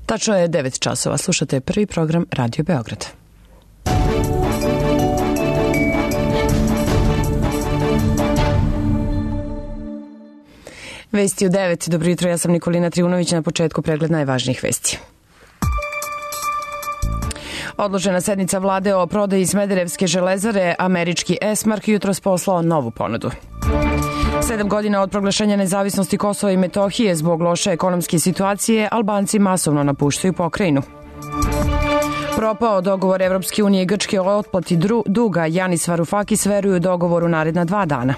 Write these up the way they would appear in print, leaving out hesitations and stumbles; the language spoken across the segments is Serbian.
Tačno je 9 časova. Slušate prvi program Radio Beograd. Vesti u 9. Dobro jutro, ja sam Nikolina Trivunović, na početku pregled najvažnijih vesti. Odložena sednica vlade o prodaji Smederevske železare, američki Esmark jutros poslao novu ponudu. 7 godina od proglašenja nezavisnosti Kosova i Metohije zbog loše ekonomske situacije, Albanci masovno napuštaju pokrajinu. Propao dogovor Evropske unije i Grčke o otplati duga, Janis Varufakis veruju u dogovor u naredna 2 dana.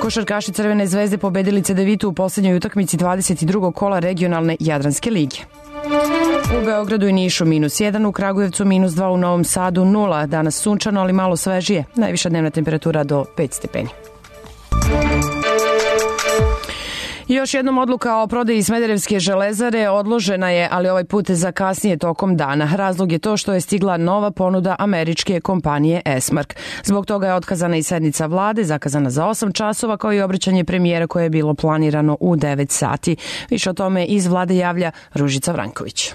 Košarkaši Crvene zvezde pobedili Cedevitu u poslednjoj utakmici 22. kola regionalne Jadranske lige. U Beogradu i Nišu -1, u Kragujevcu -2, u Novom Sadu 0. Danas sunčano, ali malo svežije. Najviša dnevna temperatura do 5 stepeni. Još jednom odluka o prodaji Smederevske železare odložena je, ali ovaj put za kasnije tokom dana. Razlog je to što je stigla nova ponuda američke kompanije Esmark. Zbog toga je otkazana i sednica vlade, zakazana za 8 časova, kao i obraćanje premijera koje je bilo planirano u 9 sati. Više o tome iz vlade javlja Ružica Vranković.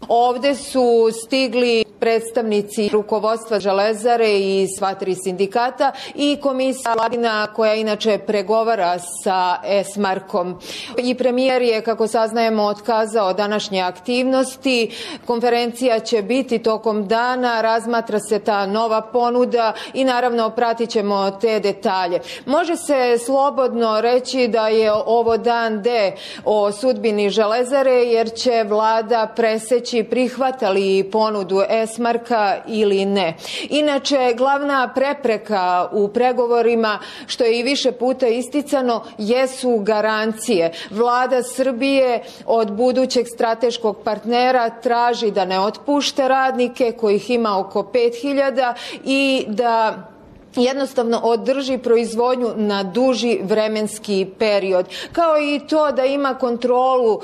Ovde su stigli predstavnici rukovodstva Železare i sva 3 sindikata i komisija vladina koja inače pregovara sa Esmarkom. I premijer je, kako saznajemo, otkazao današnje aktivnosti. Konferencija će biti tokom dana, razmatra se ta nova ponuda i naravno pratit ćemo te detalje. Može se slobodno reći da je ovo dan D o sudbini Železare, jer će vlada preseći prihvatali ponudu Esmarka ili ne. Inače, glavna prepreka u pregovorima, što je i više puta isticano, jesu garancije. Vlada Srbije od budućeg strateškog partnera traži da ne otpušta radnike, kojih ima oko 5.000, i da jednostavno održi proizvodnju na duži vremenski period. Kao i to da ima kontrolu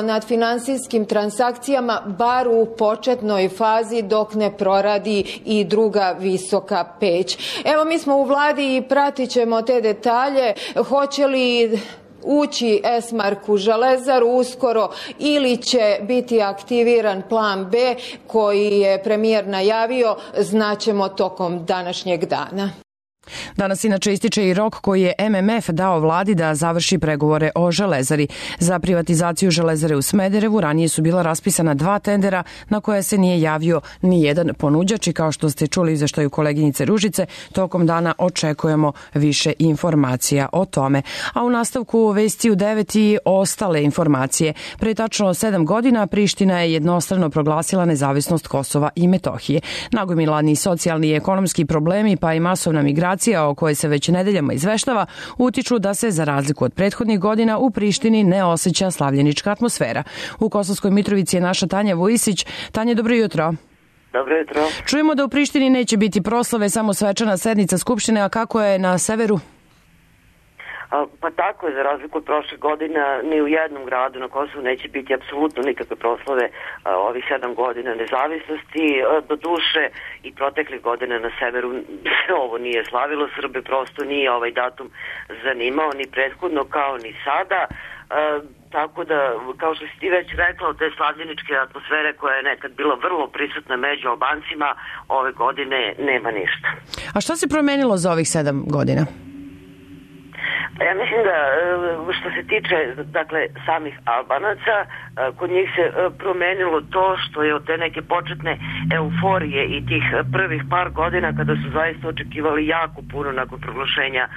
nad finansijskim transakcijama, bar u početnoj fazi dok ne proradi i druga visoka peć. Evo, mi smo u vladi i pratit ćemo te detalje. Hoće li ući Esmark u železaru uskoro ili će biti aktiviran plan B koji je premijer najavio, znaćemo tokom današnjeg dana. Danas inače ističe i rok koji je MMF dao vladi da završi pregovore o železari. Za privatizaciju železare u Smederevu ranije su bila raspisana 2 tendera na koje se nije javio ni jedan ponuđač i kao što ste čuli u izveštaju koleginice Ružice, tokom dana očekujemo više informacija o tome. A u nastavku vesti u 9 i ostale informacije. Pre tačno 7 godina Priština je jednostrano proglasila nezavisnost Kosova i Metohije. Nagomilani socijalni i ekonomski problemi pa i masovna migracija o kojoj se već nedeljama izveštava, utiču da se, za razliku od prethodnih godina, u Prištini ne osjeća slavljenička atmosfera. U Kosovskoj Mitrovici je naša Tanja Vujisić. Tanja, dobro jutro. Dobro jutro. Čujemo da u Prištini neće biti proslave, samo svečana sednica Skupštine, a kako je na severu? Pa tako je, za razliku od prošle godina, ni u jednom gradu na Kosovu neće biti apsolutno nikakve proslave ovih 7 godina nezavisnosti. Do duše i proteklih godina na severu ovo nije slavilo, Srbe prosto nije ovaj datum zanimao ni prethodno kao ni sada. Tako da, kao što si ti već rekla, od te slavljeničke atmosfere koja je nekad bila vrlo prisutna među Albancima, ove godine nema ništa. A šta se promenilo za ovih 7 godina? Ja mislim da što se tiče samih Albanaca, kod njih se promenilo to što je od te neke početne euforije i tih prvih par godina kada su zaista očekivali jako puno nakon proglašenja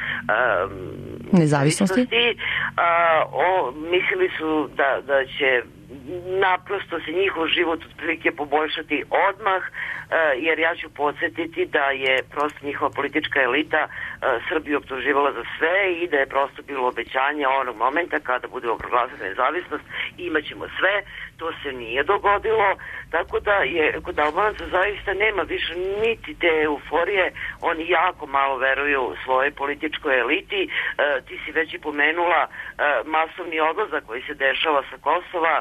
nezavisnosti, mislili su da će naprosto se njihov život otprilike poboljšati odmah, jer ja ću podsjetiti da je prosto njihova politička elita Srbiju optuživala za sve i da je prosto bilo obećanje onog momenta kada budemo proglasili nezavisnost imaćemo sve. To se nije dogodilo, tako da je kod Albanaca zaista nema više niti te euforije, oni jako malo veruju svojoj političkoj eliti. Ti si već i pomenula masovni odlazak koji se dešava sa Kosova.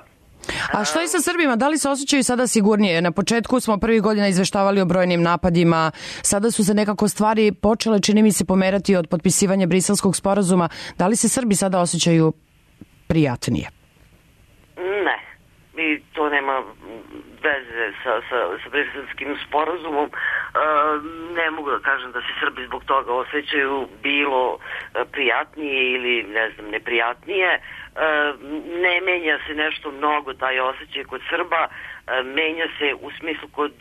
A što je sa Srbima? Da li se osjećaju sada sigurnije? Na početku smo prvih godina izveštavali o brojnim napadima. Sada su se nekako stvari počele, čini mi se, pomerati od potpisivanja Briselskog sporazuma. Da li se Srbi sada osjećaju prijatnije? i to nema veze sa Briselskim sporazumom. Ne mogu da kažem da se Srbi zbog toga osjećaju bilo prijatnije ili ne znam neprijatnije. Ne menja se nešto mnogo taj osjećaj kod Srba, menja se u smislu kod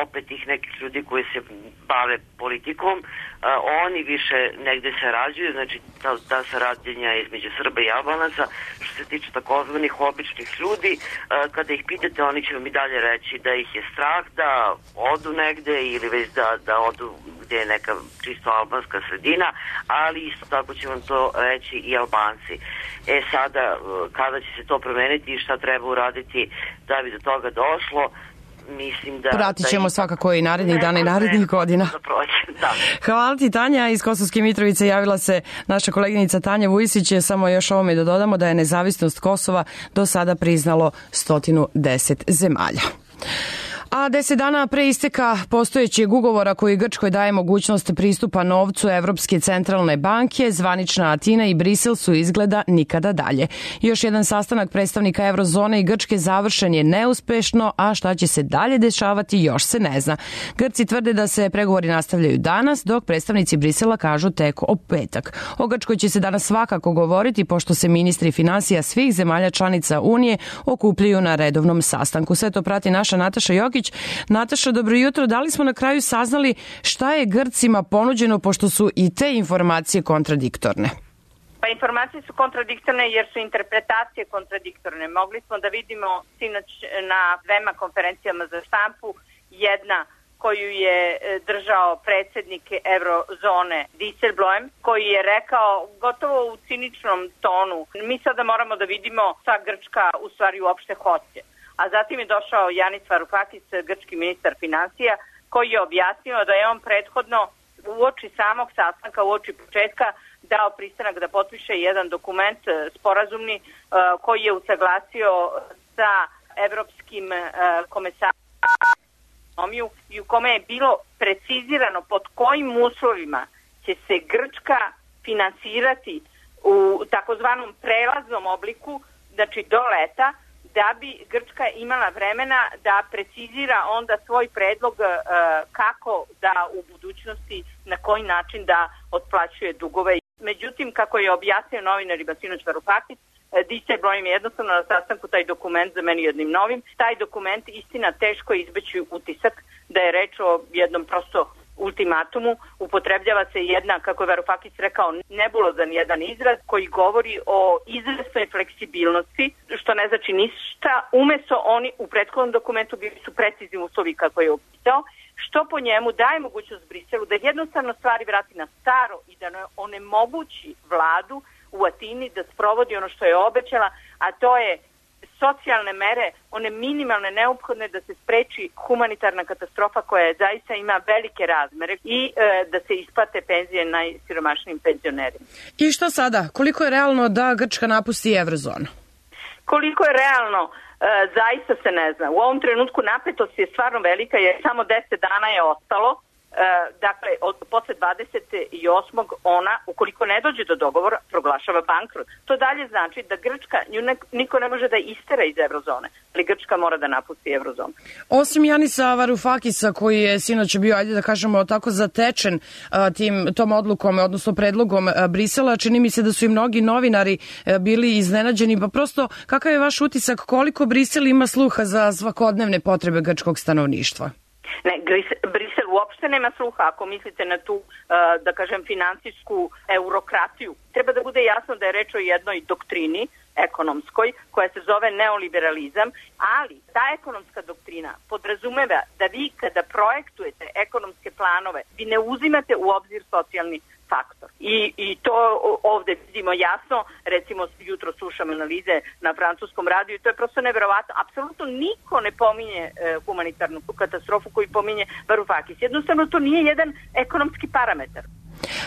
opet tih nekih ljudi koji se bave politikom. Oni više negde sarađuju, znači ta saradnja između Srba i Albanaca. Što se tiče takozvanih običnih ljudi, kada ih pitate, oni će vam i dalje reći da ih je strah da odu negde ili već da odu gde je neka čisto albanska sredina, ali isto tako će vam to reći i Albanci. Sada, kada će se to promeniti i šta treba uraditi da bi do toga došlo, mislim da... Pratit ćemo svakako i narednih dana i narednih godina. Da. Hvala ti, Tanja. Iz Kosovske Mitrovice javila se naša koleginica Tanja Vujsić. Samo još ovome da dodamo da je nezavisnost Kosova do sada priznalo 110 zemalja. A 10 dana pre isteka postojećeg ugovora koji Grčkoj daje mogućnost pristupa novcu Evropske centralne banke, zvanična Atina i Brisel su izgleda nikada dalje. Još jedan sastanak predstavnika Eurozone i Grčke završen je neuspešno, a šta će se dalje dešavati još se ne zna. Grci tvrde da se pregovori nastavljaju danas, dok predstavnici Brisela kažu tek o petak. O Grčkoj će se danas svakako govoriti, pošto se ministri finansija svih zemalja članica Unije okupljaju na redovnom sastanku. Sve to prati naša Nataša Jokić. Nataša, dobro jutro. Da li smo na kraju saznali šta je Grcima ponuđeno, pošto su i te informacije kontradiktorne? Pa informacije su kontradiktorne jer su interpretacije kontradiktorne. Mogli smo da vidimo sinoć na dvema konferencijama za štampu, jedna koju je držao predsjednik Eurozone Dijsselbloem, koji je rekao gotovo u ciničnom tonu: mi sada moramo da vidimo šta Grčka u stvari uopšte hoće. A zatim je došao Yanis Varoufakis, grčki ministar finansija, koji je objasnio da je on prethodno uoči samog sastanka, uoči početka, dao pristanak da potpiše jedan dokument sporazumni koji je usaglasio sa evropskim komesarom i u kome je bilo precizirano pod kojim uslovima će se Grčka finansirati u takozvanom prelaznom obliku, znači do leta, da bi Grčka imala vremena da precizira onda svoj predlog kako da u budućnosti, na koji način da otplaćuje dugove. Međutim, kako je objasnio novinarima sinoć Varoufakis, Dijsselbloem je jednostavno na sastanku taj dokument zamenio jednim novim. Taj dokument, istina, teško je izbeći utisak da je reč o jednom prosto ultimatumu. Upotrebljava se jedna, kako je Varoufakis rekao, nebulozan jedan izraz koji govori o izvesnoj fleksibilnosti, što ne znači ništa. Umesto oni u prethodnom dokumentu bili su precizni uslovi kako je opisao, što po njemu daje mogućnost Briselu da jednostavno stvari vrati na staro i da onemogući vladu u Atini da sprovodi ono što je obećala, a to je socijalne mere, one minimalne neophodne da se spreči humanitarna katastrofa koja zaista ima velike razmere i da se isplate penzije najsiromašnijim penzionerima. I što sada? Koliko je realno da Grčka napusti Eurozonu? Koliko je realno? Zaista se ne zna. U ovom trenutku napetost je stvarno velika jer samo 10 dana je ostalo. Dakle, posle 28. ona, ukoliko ne dođe do dogovora, proglašava bankrot. To dalje znači da Grčka, niko ne može da istera iz Eurozone, ali Grčka mora da napusti Eurozonu. Osim Janisa Varoufakisa, koji je sinoć bio, ajde da kažemo, tako zatečen tom odlukom, odnosno predlogom Brisela, čini mi se da su i mnogi novinari bili iznenađeni, pa prosto kakav je vaš utisak, koliko Brisel ima sluha za svakodnevne potrebe grčkog stanovništva? Ne, Brisel uopšte nema sluha ako mislite na tu, da kažem, finansijsku eurokratiju. Treba da bude jasno da je reč o jednoj doktrini ekonomskoj koja se zove neoliberalizam, ali ta ekonomska doktrina podrazumeva da vi kada projektujete ekonomske planove, vi ne uzimate u obzir socijalni faktor. I to ovde vidimo jasno, recimo jutro slušam analize na francuskom radiju i to je prosto neverovatno. Apsolutno niko ne pominje humanitarnu katastrofu koju pominje Varoufakis. Jednostavno to nije jedan ekonomski parametar.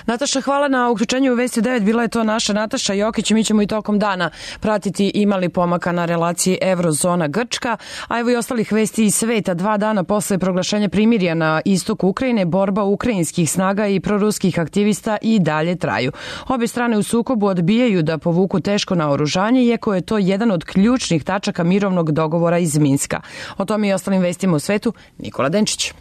Nataša, hvala na uključenju u Vesti 9. Bila je to naša Nataša Jokić i mi ćemo i tokom dana pratiti imali pomaka na relaciji Eurozona-Grčka, a evo i ostalih vesti iz sveta. 2 dana posle proglašenja primirja na istoku Ukrajine, borba ukrajinskih snaga i proruskih aktivista i dalje traju. Obje strane u sukobu odbijaju da povuku teško naoružanje, iako je to jedan od ključnih tačaka mirovnog dogovora iz Minska. O tome i ostalim vestima u svetu, Nikola Denčić.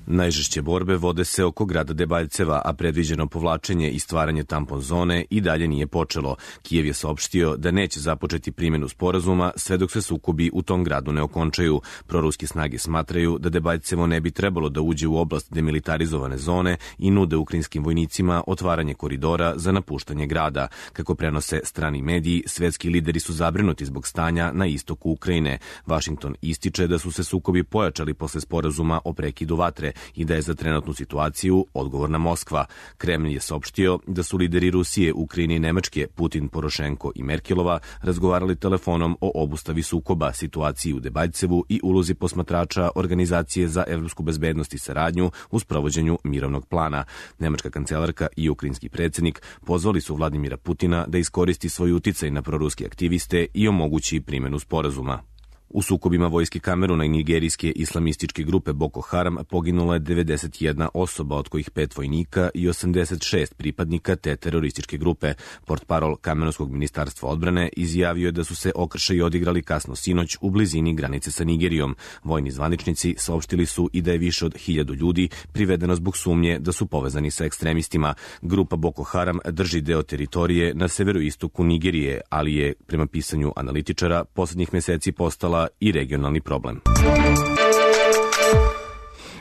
Najžešće borbe vode se oko grada Debaljceva, a predviđeno povlačenje i stvaranje tampon zone i dalje nije počelo. Kijev je saopštio da neće započeti primjenu sporazuma sve dok se sukobi u tom gradu ne okončaju. Proruske snage smatraju da Debaljcevo ne bi trebalo da uđe u oblast demilitarizovane zone i nude ukrajinskim vojnicima otvaranje koridora za napuštanje grada. Kako prenose strani mediji, svetski lideri su zabrinuti zbog stanja na istoku Ukrajine. Vašington ističe da su se sukobi pojačali posle sporazuma o prekidu vatre i da je za trenutnu situaciju odgovorna Moskva. Kremlj je saopštio da su lideri Rusije, Ukrajine i Nemačke, Putin, Porošenko i Merkelova, razgovarali telefonom o obustavi sukoba, situaciji u Debaljcevu i ulozi posmatrača Organizacije za evropsku bezbednost i saradnju u sprovođenju mirovnog plana. Nemačka kancelarka i ukrajinski predsjednik pozvali su Vladimira Putina da iskoristi svoj uticaj na proruske aktiviste i omogući primjenu sporazuma. U sukobima vojske Kameruna i nigerijske islamističke grupe Boko Haram poginulo je 91 osoba, od kojih 5 vojnika i 86 pripadnika te terorističke grupe. Portparol Kamerunskog ministarstva odbrane izjavio je da su se okršaji odigrali kasno sinoć u blizini granice sa Nigerijom. Vojni zvaničnici saopštili su i da je više od 1000 ljudi privedeno zbog sumnje da su povezani sa ekstremistima. Grupa Boko Haram drži deo teritorije na severoistoku Nigerije, ali je, prema pisanju analitičara, poslednjih meseci postala i regionalni problem.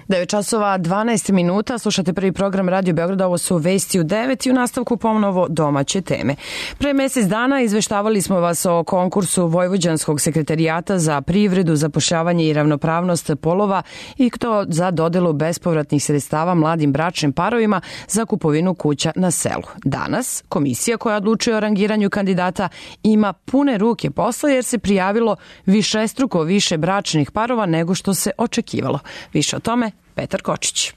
9 časova 12 minuta, slušate prvi program Radio Beograda, ovo su Vesti u 9 i u nastavku ponovo domaće teme. Pre mesec dana izveštavali smo vas o konkursu Vojvođanskog sekretarijata za privredu, zapošljavanje i ravnopravnost polova i to za dodelu bespovratnih sredstava mladim bračnim parovima za kupovinu kuća na selu. Danas komisija koja odlučuje o rangiranju kandidata ima pune ruke posla jer se prijavilo višestruko više bračnih parova nego što se očekivalo. Više o tome Petar Kočić.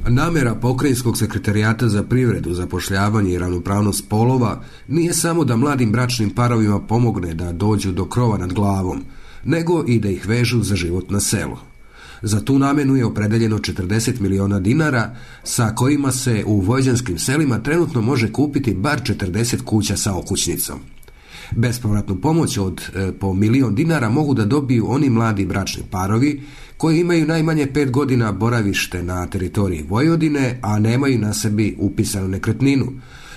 Namera Pokrajinskog sekretarijata za privredu, zapošljavanje i ravnopravnost polova nije samo da mladim bračnim parovima pomogne da dođu do krova nad glavom, nego i da ih vežu za život na selu. Za tu namenu je opredeljeno 40 miliona dinara, sa kojima se u vojvođanskim selima trenutno može kupiti bar 40 kuća sa okućnicom. Bespovratnu pomoć od po 1.000.000 dinara mogu da dobiju oni mladi bračni parovi koji imaju najmanje 5 godina boravište na teritoriji Vojvodine, a nemaju na sebi upisanu nekretninu,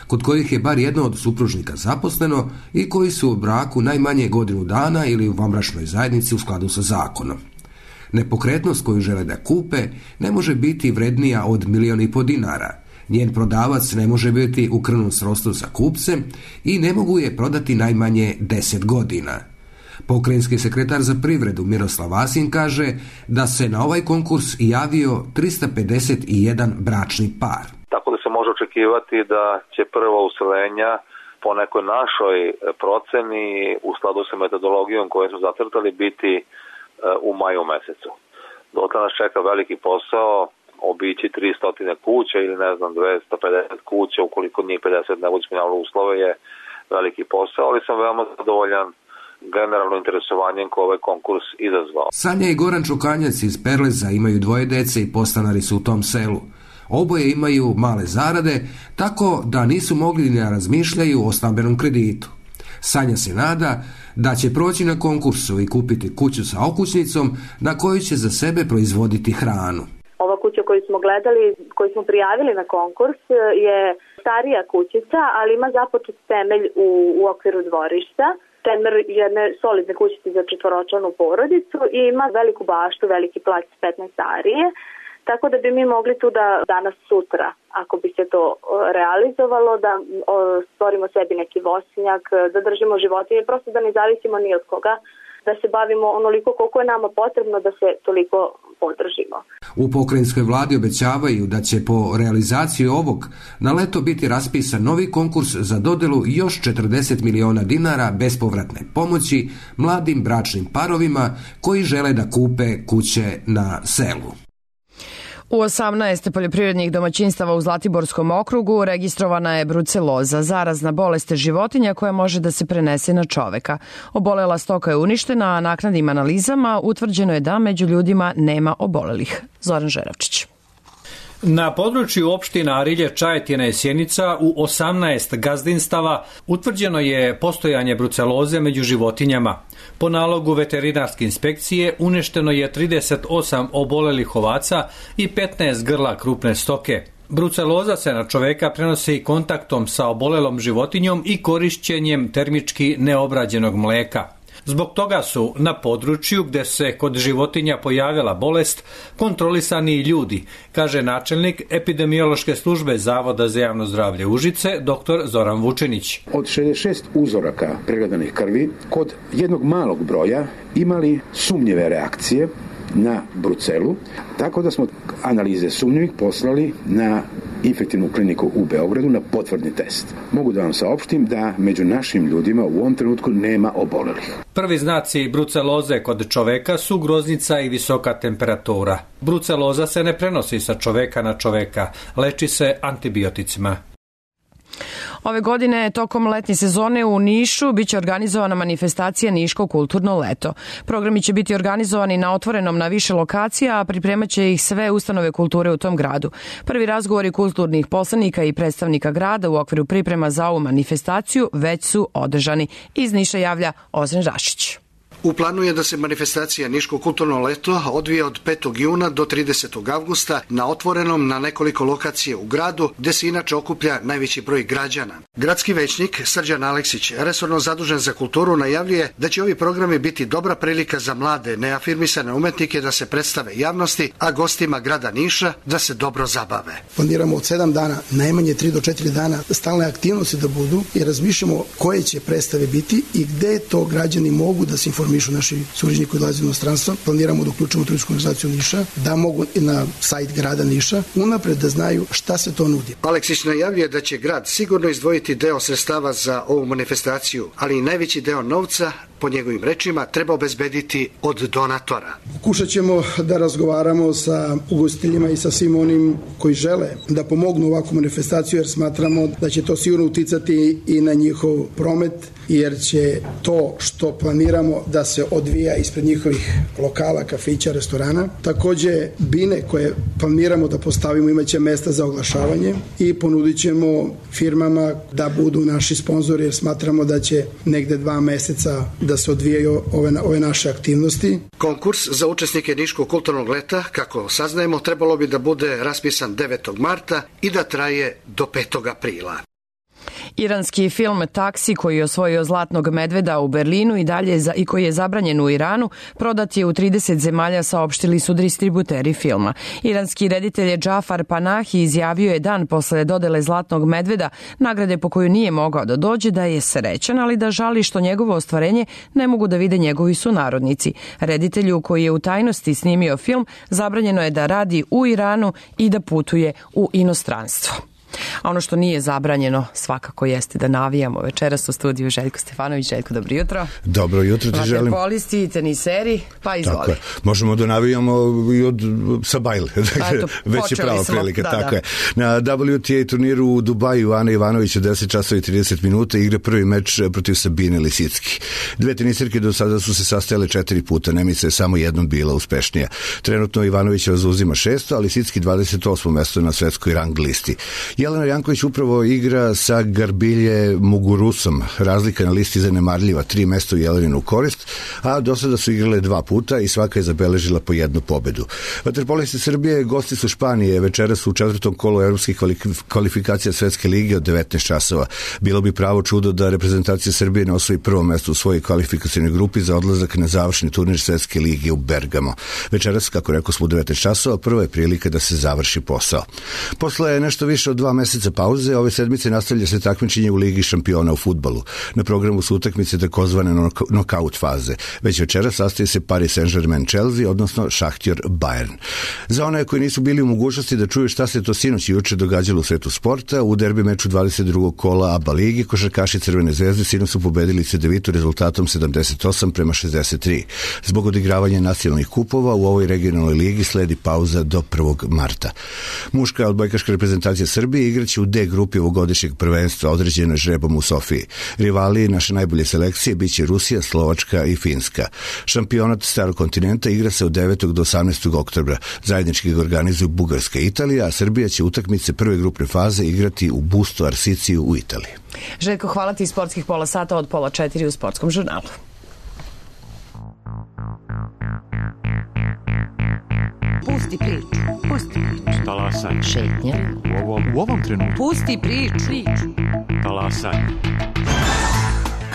kod kojih je bar jedno od supružnika zaposleno i koji su u braku najmanje godinu dana ili u vanbračnoj zajednici u skladu sa zakonom. Nepokretnost koju žele da kupe ne može biti vrednija od 1.500.000 dinara. Njen prodavac ne može biti u krvnom srodstvu sa kupcem i ne mogu je prodati najmanje 10 godina. Pokrajinski sekretar za privredu Miroslav Vasin kaže da se na ovaj konkurs javio 351 bračni par. Tako da se može očekivati da će prva useljenja po nekoj našoj proceni u skladu sa metodologijom koju su zacrtali biti u maju mesecu. Dotle nas čeka veliki posao, obići 300 kuća ili 250 kuća, ukoliko njih 50 ne bude ispunjavalo uslove, je veliki posao, ali sam veoma zadovoljan generalno interesovanjem koje ovaj konkurs izazvao. Sanja i Goran Čukanjac iz Perleza imaju 2 dece i podstanari su u tom selu. Oboje imaju male zarade, tako da nisu mogli ni da razmišljaju o stambenom kreditu. Sanja se nada da će proći na konkursu i kupiti kuću sa okućnicom na koju će za sebe proizvoditi hranu. Ova kuća koju smo gledali, koju smo prijavili na konkurs, je starija kućica, ali ima započet temelj u okviru dvorišta. Temelj jedne solidne kućice za 4-članu porodicu i ima veliku baštu, veliki plac 15 arije. Tako da bi mi mogli tu da danas sutra, ako bi se to realizovalo, da stvorimo sebi neki voćnjak, da držimo životinje, prosto da ne zavisimo ni od koga, da se bavimo onoliko koliko je nama potrebno da se toliko podržimo. U pokrajinskoj vladi obećavaju da će po realizaciji ovog na leto biti raspisan novi konkurs za dodelu još 40 miliona dinara bespovratne pomoći mladim bračnim parovima koji žele da kupe kuće na selu. U 18 poljoprivrednih domaćinstava u Zlatiborskom okrugu registrovana je bruceloza, zarazna bolest životinja koja može da se prenese na čoveka. Obolela stoka je uništena, a naknadnim analizama utvrđeno je da među ljudima nema obolelih. Zoran Žeravčić. Na području opština Arilje, Čajetina i Sjenica u 18 gazdinstava utvrđeno je postojanje bruceloze među životinjama. Po nalogu veterinarske inspekcije uništeno je 38 obolelih ovaca i 15 grla krupne stoke. Bruceloza se na čoveka prenosi kontaktom sa obolelom životinjom i korišćenjem termički neobrađenog mleka. Zbog toga su na području gde se kod životinja pojavila bolest kontrolisani i ljudi, kaže načelnik epidemiološke službe Zavoda za javno zdravlje Užice, dr. Zoran Vučinić. Od 66 uzoraka pregledanih krvi, kod jednog malog broja imali sumnjive reakcije na brucelu, tako da smo analize sumnjivih poslali na infektivnu kliniku u Beogradu na potvrdni test. Mogu da vam saopštim da među našim ljudima u ovom trenutku nema obolelih. Prvi znaci bruceloze kod čoveka su groznica i visoka temperatura. Bruceloza se ne prenosi sa čoveka na čoveka, leči se antibioticima. Ove godine tokom letnje sezone u Nišu biće organizovana manifestacija Niško kulturno leto. Programi će biti organizovani na otvorenom na više lokacija, a pripremaće ih sve ustanove kulture u tom gradu. Prvi razgovori kulturnih poslanika i predstavnika grada u okviru priprema za ovu manifestaciju već su održani. Iz Niša javlja Ozren Rašić. U planu je da se manifestacija Niško kulturno leto odvije od 5. juna do 30. avgusta na otvorenom na nekoliko lokacije u gradu, gde se inače okuplja najveći broj građana. Gradski većnik Srđan Aleksić, resorno zadužen za kulturu, najavljuje da će ovi programi biti dobra prilika za mlade, neafirmisane umetnike da se predstave javnosti, a gostima grada Niša da se dobro zabave. Planiramo od 7 dana, najmanje 3 do 4 dana, stalne aktivnosti da budu i razmišljamo koje će predstave biti i gde to građani mogu da se informišu naši sugrađani koji dolaze u inostranstvo. Planiramo da uključimo turistsku organizaciju Niša, da mogu na sajt grada Niša unapred da znaju šta se to nudi. Aleksić najavljuje da će grad sigurno izdvojiti deo sredstava za ovu manifestaciju, ali i najveći deo novca, po njegovim rečima, treba obezbediti od donatora. Pokušat ćemo da razgovaramo sa ugostiteljima i sa svim onim koji žele da pomognu ovakvu manifestaciju, jer smatramo da će to sigurno uticati i na njihov promet, jer će to što planiramo da se odvija ispred njihovih lokala, kafića, restorana. Takođe, bine koje planiramo da postavimo imaće mesta za oglašavanje i ponudit ćemo firmama da budu naši sponzori, jer smatramo da će negde 2 meseca da se odvijaju ove naše aktivnosti. Konkurs za učesnike Niškog kulturnog leta, kako saznajemo, trebalo bi da bude raspisan 9. marta i da traje do 5. aprila. Iranski film Taksi, koji je osvojio Zlatnog medveda u Berlinu i koji je zabranjen u Iranu, prodat je u 30 zemalja, saopštili su distributeri filma. Iranski reditelj Džafar Panahi izjavio je dan posle dodele Zlatnog medveda, nagrade po koju nije mogao da dođe, da je srećan, ali da žali što njegovo ostvarenje ne mogu da vide njegovi sunarodnici. Reditelju koji je u tajnosti snimio film, zabranjeno je da radi u Iranu i da putuje u inostranstvo. A ono što nije zabranjeno svakako jeste da navijamo. Večeras u studiju Željko Stefanović. Željko, dobro jutro. Dobro jutro ti želim. Vaterpolisti, teniseri, pa izvoli. Tako je. Možemo da navijamo i sa bajle. Već je prava prilika. Tako je. Na WTA turniru u Dubaju Ana Ivanović u 10 časova i 30 minuta igra prvi meč protiv Sabine Lisicki. Dve tenisirke do sada su se sastajale 4 puta. Nemica je samo jednom bila uspešnija. Trenutno Ivanovićeva zauzima 6. a Lisicki 28. mesto na svetskoj rang listi. Jelena Janković upravo igra sa Garbilje Mugurusom. Razlika na listi zanemarljiva, 3 mesta u Jeleninu korist, a do sada su igrale 2 puta i svaka je zabeležila po 1 pobedu. Vaterpolisti Srbije gosti su Španije večeras u 4. kolu evropskih kvalifikacija Svetske lige od 19 časova. Bilo bi pravo čudo da reprezentacija Srbije ne osvoji prvo mesto u svojoj kvalifikacijnoj grupi za odlazak na završni turnir Svetske lige u Bergamo. Večeras, kako rekao smo, u 19 časova, prva je prilika da se završi posao. Posle nešto više od 2 2 meseca pauze, ove sedmice nastavlja se takmičenje u Ligi šampiona u fudbalu. Na programu su utakmice takozvane nokaut faze. Već večera sastoji se Paris Saint-Germain Chelsea, odnosno Šahtjor Bayern. Za one koji nisu bili u mogućnosti da čuju šta se to sinoć i juče događalo u svetu sporta, u derbi meču 22. kola ABA ligi košarkaši Crvene zvezde sinoć su pobedili Cedevitu rezultatom 78-63. Zbog odigravanja nacionalnih kupova u ovoj regionalnoj ligi sledi pauza do 1. marta. Muška odbojkaška reprezentacija Srbije igraće u D grupi ovogodišnjeg prvenstva određeno žrebom u Sofiji. Rivali naše najbolje selekcije biće Rusija, Slovačka i Finska. Šampionat starog kontinenta igra se od 9. do 18. oktobra. Zajednički ga organizuju Bugarska i Italija, a Srbija će utakmice prve grupne faze igrati u Busto Arsiciju u Italiji. Željko, hvala ti iz sportskih pola sata od 3:30 u Sportskom žurnalu. Pusti priču. Talasaj. Šetnja. U ovom trenutku. Pusti priču. Talasaj.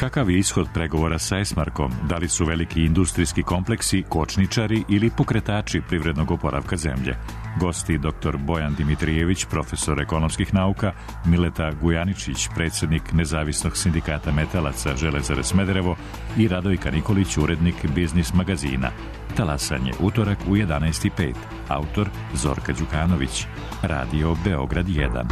Kakav je ishod pregovora sa Esmarkom? Da li su veliki industrijski kompleksi kočničari ili pokretači privrednog oporavka zemlje? Gosti dr. Bojan Dimitrijević, profesor ekonomskih nauka, Mileta Gujaničić, predsjednik Nezavisnog sindikata metalaca Železare Smederevo i Radojka Nikolić, urednik Biznis magazina. Talasanje, utorak u 11:05. Autor Zorka Đukanović. Radio Beograd 1.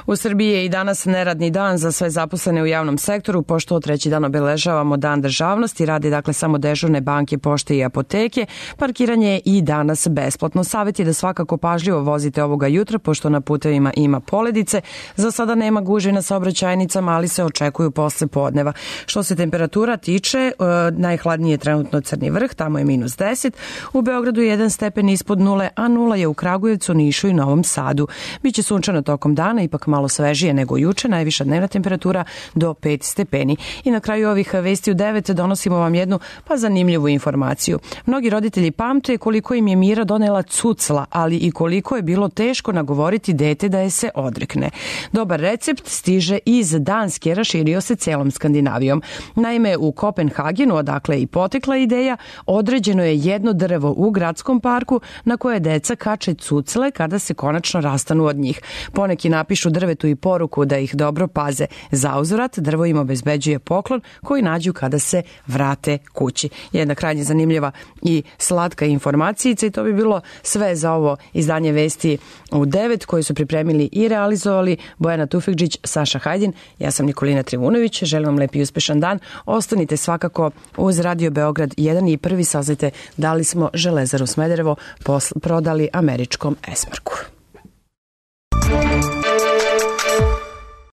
U Srbiji je i danas neradni dan za sve zaposlene u javnom sektoru, pošto 3. dan obeležavamo Dan državnosti, rade dakle samo dežurne banke, pošte i apoteke. Parkiranje je i danas besplatno. Savjet je da svakako pažljivo vozite ovoga jutra, pošto na putevima ima poledice. Za sada nema gužve na saobraćajnicama, ali se očekuju posle podneva. Što se temperatura tiče, najhladnije je trenutno Crni Vrh, tamo je -10. U Beogradu je 1 stepen ispod nule, a 0 je u Kragujevcu, Nišu i Novom Sadu. Biće sunčano tokom dana, ipak malo svežije nego juče, najviša dnevna temperatura do 5 stepeni. I na kraju ovih vesti u 9 donosimo vam jednu zanimljivu informaciju. Mnogi roditelji pamte koliko im je Mira donela cucla, ali i koliko je bilo teško nagovoriti dete da je se odrekne. Dobar recept stiže iz Danske, raširio se celom Skandinavijom. Naime, u Kopenhagenu, odakle i potekla ideja, određeno je jedno drvo u gradskom parku na koje deca kače cucle kada se konačno rastanu od njih. Poneki napišu drvetu i poruku da ih dobro paze. Zauzvrat, drvo im obezbeđuje poklon koji nađu kada se vrate kući. Jedna krajnje zanimljiva i slatka informacijica i to bi bilo sve za ovo izdanje vesti u 9 koje su pripremili i realizovali Bojana Tufekđić, Saša Hajdin. Ja sam Nikolina Trivunović. Želim vam lep i uspešan dan. Ostanite svakako uz Radio Beograd 1 i prvi saznajte da li smo Železaru Smederevo prodali američkom Esmarku.